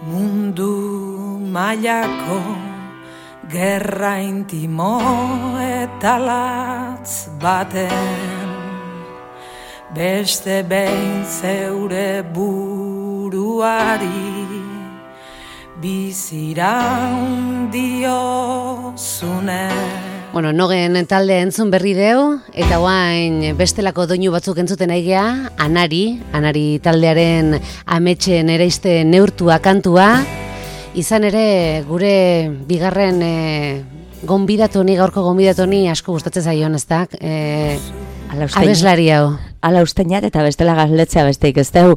Mundu mailako gerra intimo eta latz baten beste behin zeure buruari biziraun diozunen. Bueno, Nogen talde entzun berri deu, eta guain bestelako doinu batzuk entzuten aigea, Anari taldearen ametxen ereiste neurtua kantua, izan ere gure bigarren gaurko gonbidatoni asko gustatzen zaion, ez da? Abeslari hau. Ala usteinat eta bestela gazletzea besteik ez dau.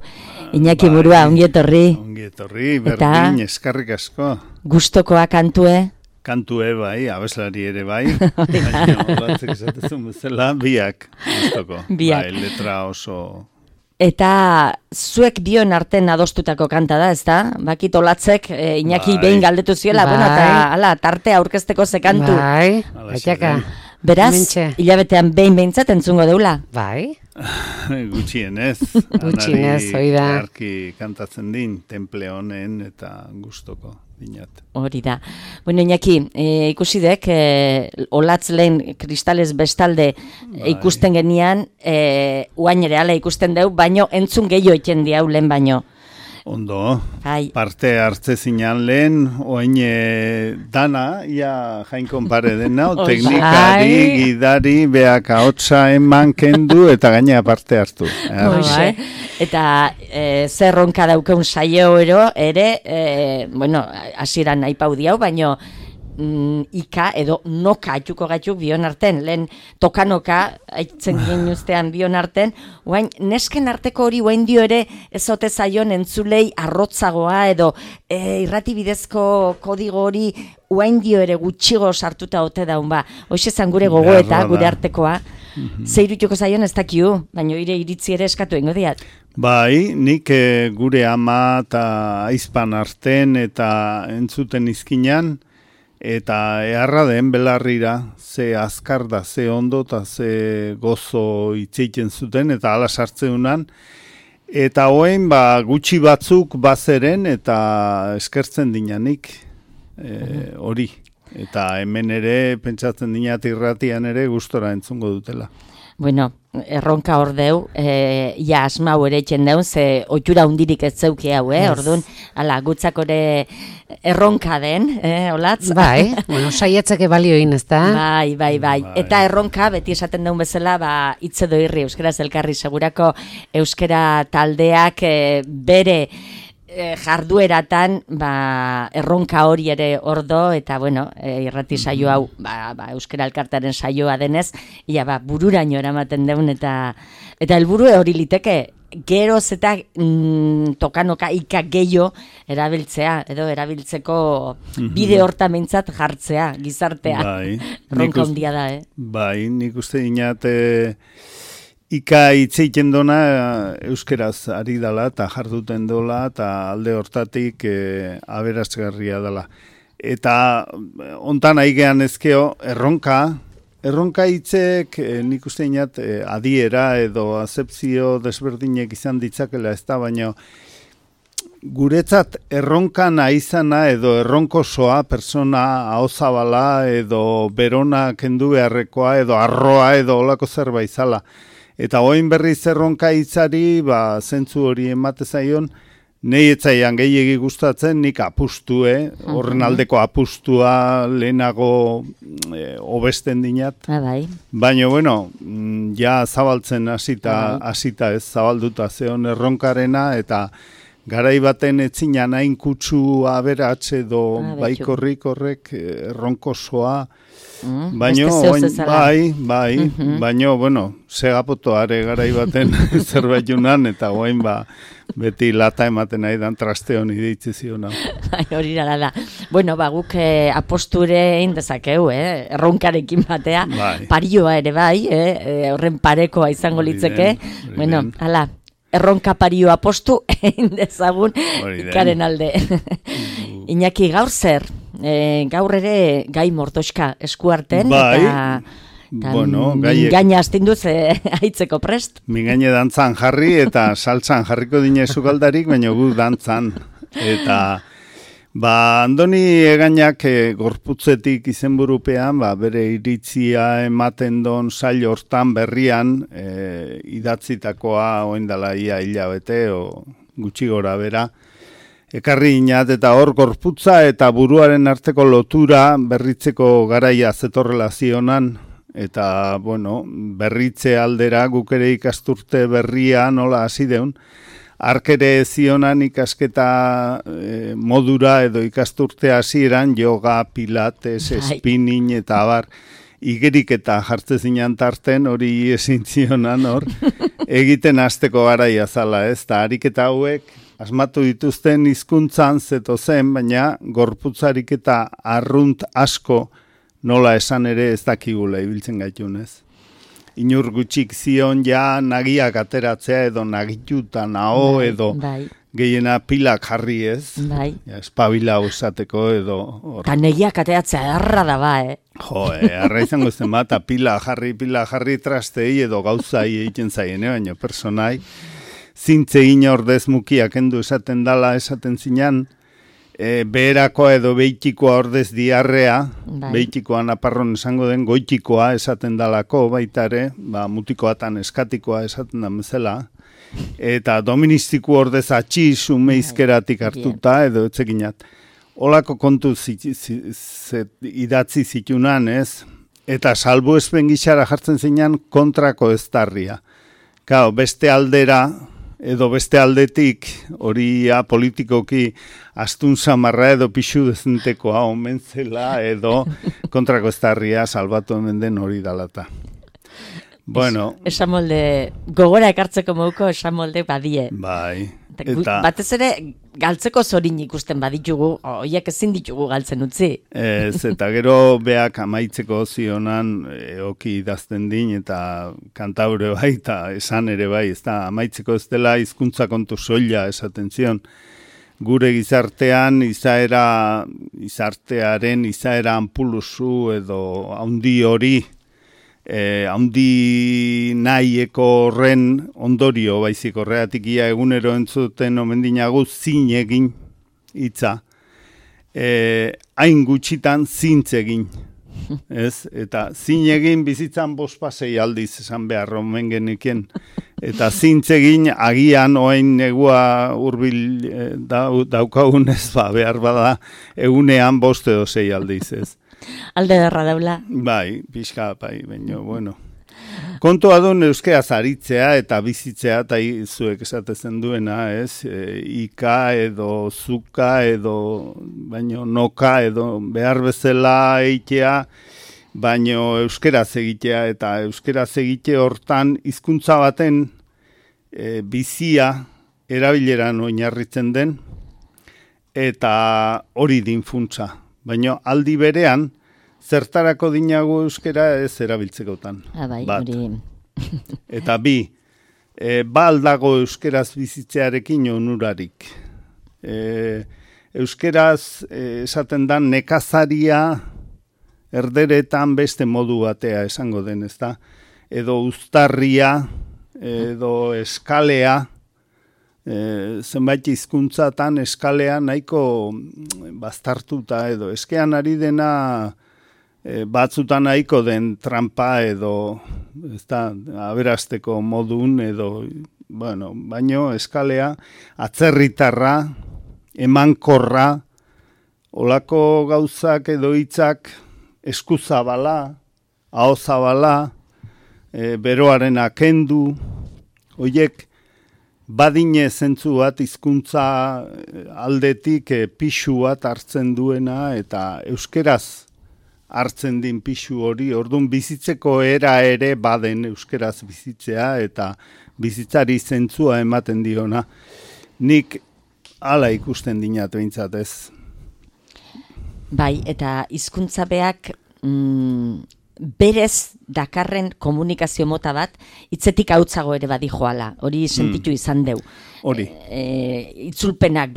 Iñaki Murua, ongi etorri. Ongi etorri, berdin, eskarrik asko. Gustokoa kantue. Kantue bai, abeslari ere bai. Baina, olatzek esatezun bezala, biak gustoko. Biak. Bai, letra oso... Eta zuek bion arten adostutako kanta da, ez da? Bakit olatzek Iñaki behin galdetu ziola, bueno, eta ala, tartea aurkezteko zekantu. Bai, baitaka. Beraz, hilabetean behintzat entzungo deula. Bai. Gutxienez. Gutxienez, hori da. Arki kantatzen din, temple honen eta gustoko dinat. Hori da. Bueno, Iñaki, ikusi dek, olatz lehen kristales bestalde ikusten genian, uain ere ala ikusten deu, baino entzun gehiago iten diau lehen baino. Ondo, parte hartze zinan lehen, oain dana, ia jainkon pare dena, teknikari, gidari, beak ahotsa eman kendu eta gainea parte hartu. Eta zerronka daukeun saio ere, bueno, hasieran nahi pau diau, baino ika edo noka atxuko gatzuk bion arten, lehen tokanoka aitzen ginen ustean bion arten, guain nesken arteko hori guain dio ere ezote zaion entzulei arrotzagoa edo irratibidezko kodigo hori guain dio ere gutxigo sartuta ote daun ba. Hoxe zan gure gogoeta, gure artekoa. Zeirutuko zaion ez dakiu, baina iritzi ere eskatu ingo diat. Bai, nik gure ama eta aizpan arten eta entzuten izkinan, eta eharra den belarrira, ze azkar da, ze ondo eta ze gozo itzeiten zuten, eta ala sartzeunan. Eta hoen gutxi batzuk bazeren eta eskertzen dinanik hori. Eta hemen ere, pentsatzen dinat irratian ere gustora entzungo dutela. Bueno, erronka hor deu, ja asmau ere etxen deun, ze oitura hundirik ez zeuki hau, orduan, ala, gutzakore erronka den, olatz? Bai, bueno, saietzake balioin, ez da? Bai. Eta erronka, beti esaten deun bezala, hitz edo irri, euskaraz elkarri, segurako euskara taldeak bere jardueratan erronka hori ere ordo eta bueno, irrati saio hau euskara elkartaren saioa denez, ia bururaino eramaten deun eta helburu hori liteke geroz eta tokanoka ika gehiago erabiltzea edo erabiltzeko bide hortamintzat jartzea gizartea. Bai, erronka handia da, Bai, nik uste dinat ika hitzeiten dona euskeraz ari dela eta jarduten dola eta alde hortatik aberasgarria dela. Eta ontan aigean ezkeo erronka hitzek nik uste inat adiera edo azepzio desberdinek izan ditzakela ez da, baina guretzat erronkana izana edo erronkosoa persona ahozabala edo berona kendu beharrekoa edo arroa edo olako zerbait zala. Eta oin berriz erronka hitzari, zentzu hori emate zaion, nahi etzaian gehiegi gustatzen, nik apustue, horren aldeko apustua lehenago hobesten dinat. Baina, bueno, ja zabaltzen hasita ez, zabalduta zeon erronkarena, eta garai baten etzinan hain kutsu aberats edo baikorrik horrek erronkosoa, baina, bueno, segapotoare garai baten zerbait junan, eta guain beti lata ematen nahi dan traste honi deitze ziona. Hori da. Bueno, guk aposture egin dezakeu, erronkarekin batea, parioa ere bai, horren parekoa izango litzeke. Bueno, hala, erronka pario apostu egin dezagun ikaren alde. Iñaki, gaur zer? Gaur ere gai mortoska eskuarten eta mingaina astinduz haitzeko prest. Mingaina dantzan jarri eta saltzan jarriko dine sukaldarik, baina gu dantzan. Eta Andoni Egainak gorputzetik izenburupean, bere iritzia ematen don sail hortan berrian, idatzitakoa oindala ia hilabete, o gutxi gora bera, ekarri inat eta hor gorputza eta buruaren arteko lotura berritzeko garaia zetorrela zionan, eta, berritze aldera guk ere ikasturte berria nola hasi deun, arkere zionan ikasketa modura edo ikasturte hasieran yoga, pilates, spinning eta abar, igerik eta jartze zinan tarten hori ezin zionan hor, egiten hasteko garaia zala, ez? Ta ariketa hauek asmatu dituzten hizkuntzan zeto zen, baina gorputzarik eta arrunt asko nola esan ere ez dakigula ibiltzen gaitun, ez? Inur gutxik zion ja nagiak ateratzea edo nagituta nao edo gehiena pilak jarri, ez? Ja, espabila usateko edo... Ta negiak ateratzea erra da arra izango zen bat, pila jarri trastei edo gauzai egiten zaien, baina personai zintze ordez mukiak endu esaten dala esaten zinan, beherakoa edo beitikoa ordez diarrea, beitikoa naparron esango den goitikoa esaten dalako baitare, mutikoatan eskatikoa esaten da bezala, eta doministiku ordez atxiz umeizkeratik hartuta edo etzekinat. Olako kontu idatzi zitunan, ez? Eta salbu ezben gixara jartzen zinan kontrako eztarria. Beste aldera, edo beste aldetik, hori politikoki astun samarra edo pixu dezentekoa omen zela edo kontrako eztarria salbatu hemen den hori dalata. Esan molde, gogora ekartzeko moduko esan molde badie. Batez ere, galtzeko zorin ikusten baditugu, oiek ezin ditugu galtzen utzi. Eta gero beak amaitzeko zionan eoki idazten din, eta kantaure bai, eta esan ere bai, ez da, amaitzeko ez dela hizkuntza kontu soila esaten zion. Gure gizartean izartearen izaera anpuluzu edo haundi hori, haundi nahieko horren ondorio baizik horreatik ia egunero entzuten omendinagu zin egin hitza, hain gutxitan zintz egin, ez? Eta zin egin bizitzan 5-6 aldiz esan behar omen genekien, eta zintz egin agian oain negua hurbil daukagunez behar bada egunean 5 edo 6 aldiz, ez? Alde derra daula. Pixka, baina, Kontua duen euskeraz aritzea eta bizitzea, eta zuek esatezen duena, ez? Ika edo zuka edo, baino noka edo behar bezala eitea, baino euskeraz egitea, eta euskeraz egite hortan hizkuntza baten bizia erabileran oinarritzen den, eta hori din funtsa. Baina aldi berean, zertarako dinagu euskera ez erabiltzekotan. Bat. Eta bi, aldago euskeraz bizitzearekin onurarik. Euskeraz esaten da nekazaria erderetan beste modu batea esango den, ezta? Edo uztarria, edo eskalea, zenbait hizkuntzatan eskalea nahiko baztartuta edo eskean ari dena batzutan nahiko den trampa edo aberasteko modun edo baino eskalea atzerritarra, emankorra, olako gauzak edo hitzak eskuzabala, ahozabala, beroaren akendu, hoiek badine zentzu bat hizkuntza aldetik pixu bat hartzen duena eta euskeraz hartzen din pixu hori, orduan bizitzeko era ere baden euskeraz bizitzea eta bizitzari zentzua ematen diona. Nik hala ikusten dinat behintzat ez. Bai, eta hizkuntza beak berez dakarren komunikazio mota bat, hitzetik hautzago ere badi joala, hori sentitu izan deu. Hori. Itzulpenak,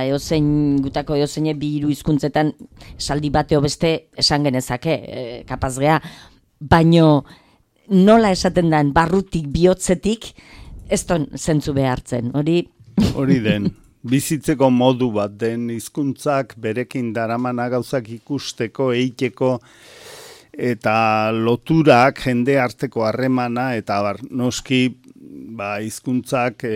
eozein gutako eozeine 2 hizkuntzetan esaldi bateo beste esan genezake, kapaz gea, baino nola esaten den barrutik bihotzetik, ez ton zentzu behartzen, hori... Hori den, bizitzeko modu bat den, hizkuntzak berekin daramana gauzak ikusteko, eiteko, eta loturak, jende arteko harremana, eta noski hizkuntzak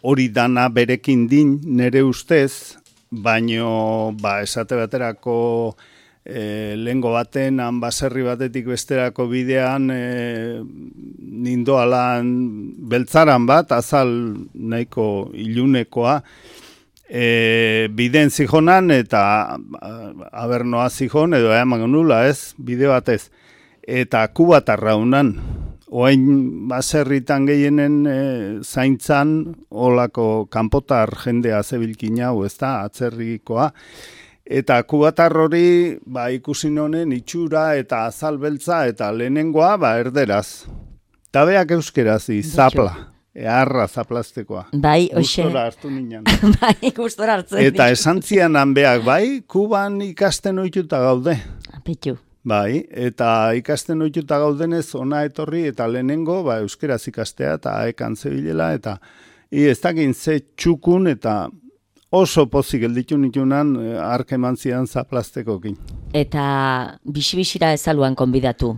hori dana berekin din nere ustez, baino esate baterako lehengo baten, baserri batetik besterako bidean nindoalan beltzaran bat, azal nahiko ilunekoa, biden zijonan eta abernoa zijon edo eman nula ez, bide batez, eta kubatarra unan, oain baserritan gehienen zaintzan olako kanpotar jendea zebilkin hau, ez da, atzerrikoa, eta kubatar hori ikusi nonen itxura eta azal beltza eta lehenengoa erderaz. Tabeak euskeraz, zapla. Eharra zaplaztekoa. Bai, hoxe. Gustora hartu ninan. Bai, gustora hartzen. Eta esantzian hanbeak, Kuban ikasten ohituta gaude. Pitu. Bai, eta ikasten ohituta gaudenez ona etorri eta lehenengo euskeraz ikastea eta aekan zebilela eta ez dakin ze txukun eta oso pozik gelditu nitunan ark eman zidan zaplaztekokin. Eta bisi-bisira ezaluan konbidatu?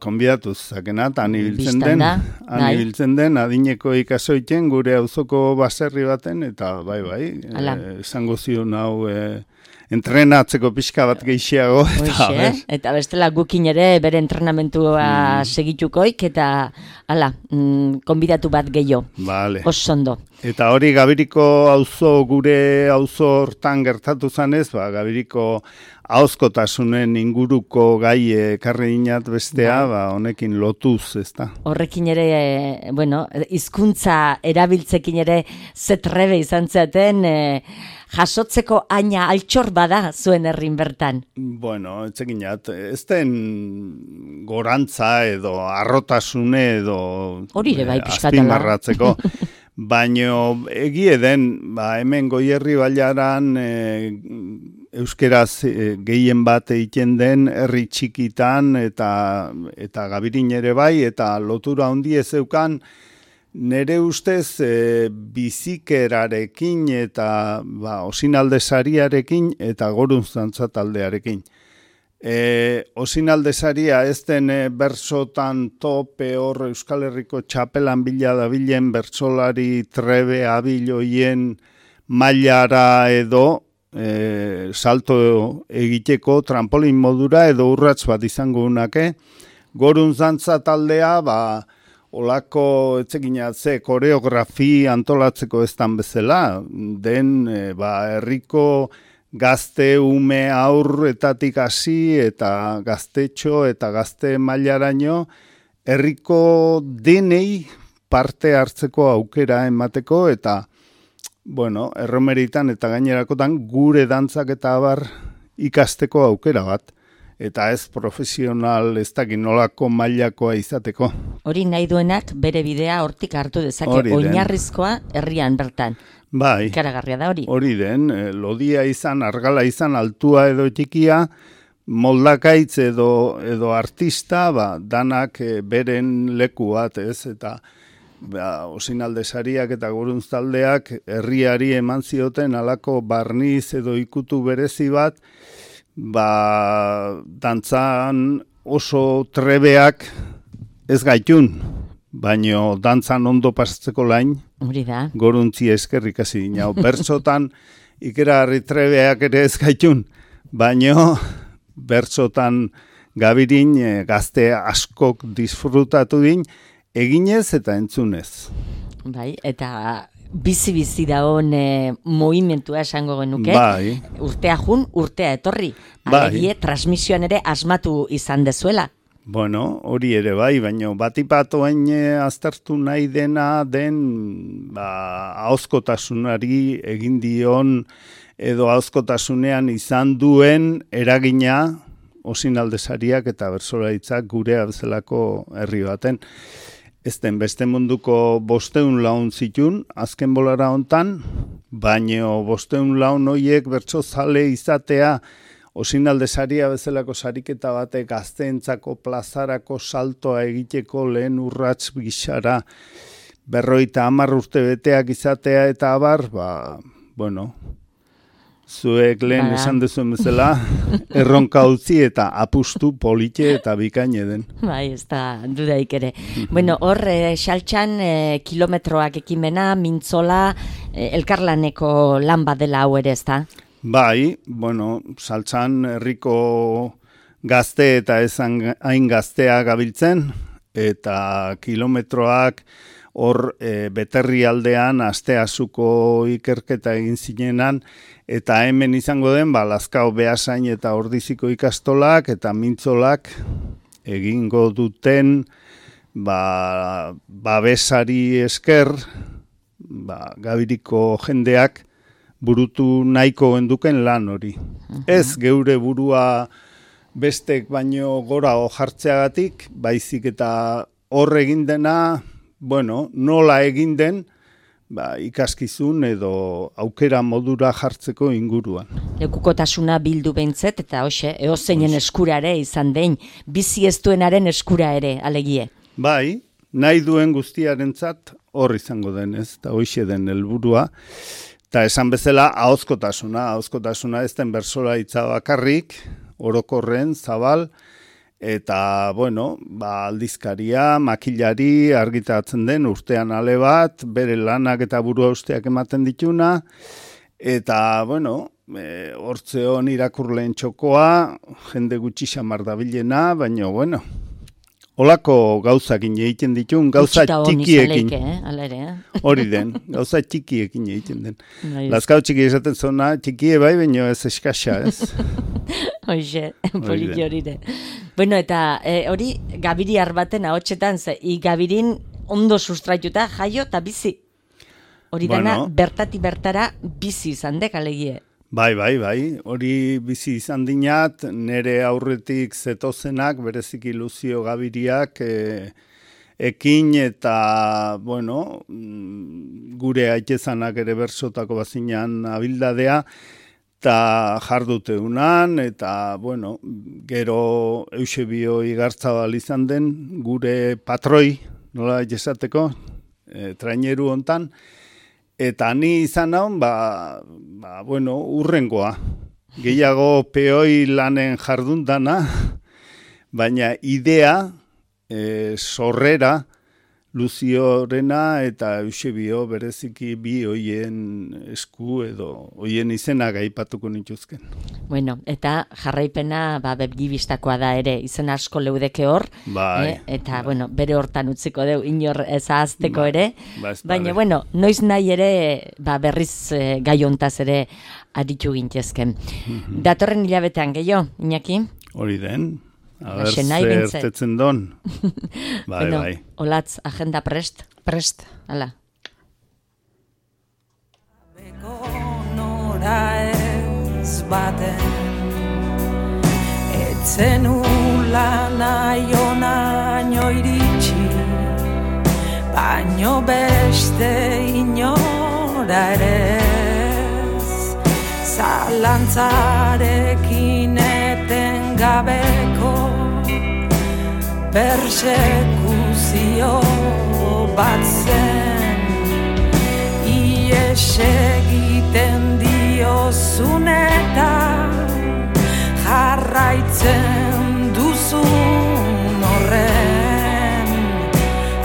Konbidatuz zakena, eta han ibiltzen den, adineko ikasoiten gure auzoko baserri baten, eta esango zion hau entrenatzeko pixka bat gehiago. Eta bestela gukin ere bere entrenamentua segitukoik, eta konbidatu bat gehiago. Osondo. Eta hori Gabiriko gure auzo hortan gertatu zanez, Gabiriko ahozkotasunen inguruko gai ekarri dinat bestea, honekin lotuz, ez da. Horrekin ere, hizkuntza erabiltzekin ere zetrebe izan zaten, jasotzeko aina altxor bada zuen herrin bertan. Etzekinat, ez den gorantza edo arrotasune edo azpimarratzeko. Baino egie den, hemen Goierri bailaran euskeraz gehien bat egiten den herri txikitan eta Gabirin ere bai, eta lotura handi ez zeukan nere ustez bizikerarekin eta Osinalde Sariarekin eta Goruntzantza taldearekin. Osinalde Saria ez den bersotan tope hor Euskal Herriko txapelan bila dabilen bertsolari trebe abiloien mailara edo salto egiteko trampolin modura edo urrats bat izango unake. Goruntzantza taldea, olako etzekinatze koreografi antolatzeko eztan bezala, den herriko gazte, ume, aurretatik hasi eta gaztetxo eta gazte mailaraino herriko denei parte hartzeko aukera emateko eta erromeritan eta gainerakotan gure dantzak eta abar ikasteko aukera bat. Eta ez profesional ez dakin nolako mailakoa izateko. Hori nahi duenak bere bidea hortik hartu dezake, oinarrizkoa herrian bertan. Bai, ikaragarria da hori. Hori den, lodia izan, argala izan, altua edo txikia, moldakaitz edo artista, danak beren leku bat, ez, eta Osinalde Sariak eta Goruntztaldeak herriari eman zioten alako barniz edo ikutu berezi bat, dantzan oso trebeak ez gaitun, baino dantzan ondo pasatzeko lain, Goruntzi eskerrik hasi dina. Bertsotan ikeragarri trebeak ere ez gaitun, baino bertsotan Gabirin gazte askok disfrutatu din, eginez eta entzunez. Bai, eta bizi-bizi dagoen movimentua esango genuke. Bai. Urtea jun, urtea etorri. Alegie, transmisioan ere asmatu izan dezuela. Hori ere bai, baina batipatoen aztertu nahi den ahozkotasunari egin dion edo ahozkotasunean izan duen eragina Osinalde Sariak eta bertsolaritzak gurea bezalako herri baten. Ez den beste munduko 500 laun zitun, azken bolara hontan, baina 500 laun horiek bertsozale izatea Osinalde Saria bezalako sariketa batek gazteentzako plazarako saltoa egiteko lehen urrats gisara 50 urte beteak izatea eta abar, bueno, zuek lehen esan duzuen bezala, erronka utzi eta apustu polite eta bikaine den. Bai, ez da dudaik ere. Bueno, hor, Saltxan kilometroak ekimena, mintzola, elkarlaneko lan badela hau ere, ez da? Bai, bueno, Saltxan herriko gazte eta ezan hain gaztea gabiltzen, eta kilometroak hor Beterri aldean Asteazuko ikerketa egin zinenan, eta hemen izango den, Lazkao Beasain eta Ordiziko ikastolak eta mintzolak egingo duten babesari esker, Gabiriko jendeak burutu nahiko genduken lan hori. Ez geure burua bestek baino gora jartzeagatik, baizik eta hor egin dena, bueno, nola egin den, ikaskizun edo aukera modura jartzeko inguruan. Lekukotasuna bildu behintzet, eta hoxe, eozeinen eskura ere izan den, bizi ez duenaren eskura ere, alegie. Bai, nahi duen guztiarentzat hor izango den, ez, eta hoxe den helburua. Eta esan bezala, ahozkotasuna ez den bersola hitza bakarrik, orokorren, zabal, eta, bueno, aldizkaria, makilari argitaratzen den urtean ale bat, bere lanak eta burua usteak ematen dituna, eta, bueno, hortzeon irakurleen txokoa, jende gutxi xamar dabilena, baina, bueno, holako gauzakin egiten ditun, gauza txikiekin. Hori den, gauza txikiekin egiten den. Lazkao txiki esaten zona, txikie bai, baina ez eskasa, ez? Hoxe, politi hori de. Bueno, eta hori Gabiri arbaten ahotsetan, Gabirin ondo sustraituta, jaio eta bizi. Hori dena, bertati bertara bizi izan dek, alegie. Bai, hori bizi izan dinat, nere aurretik zetozenak, berezik iluzio Gabiriak, ekin eta, bueno, gure aitezanak ere bersotako bazinan abildadea, eta jardute unan, eta, bueno, gero Eusebio Igartzabal izan den, gure patroi, nola esateko, traineru hontan, eta ni izan naun, bueno, urrengoa. Gehiago peoi lanen jardundana, baina idea, sorrera, Luziorena eta Eusebio bereziki bi hoien esku edo hoien izenak aipatuko nituzken. Bueno, eta jarraipena begibistakoa da ere, izen asko leudeke hor, eta bueno, bere hortan utziko deu inor ezazteko ere, baina bueno, noiz nahi ere berriz gai hontaz ere aditu gintezken. Datorren hilabetean gehiago, Iñaki? Hori den. Aber, zertetzen don. Bai. Olatz, agenda prest? Prest. Hala. Beko nora ez baten etzen ula nahi iritsi, baino beste inora ere ez, zalantzarekin eten gabeko persekuzio bat zen, ies egiten diozun eta jarraitzen duzun horren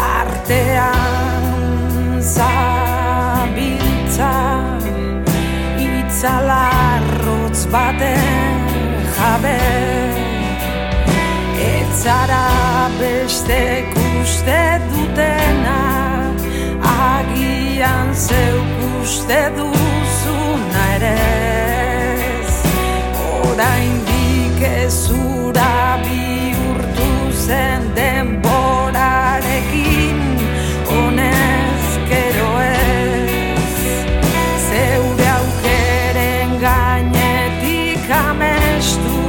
artean zabiltza itzalarrotz baten jabe. Zara bestek uste dutena, agian zeuk uste duzuna ere.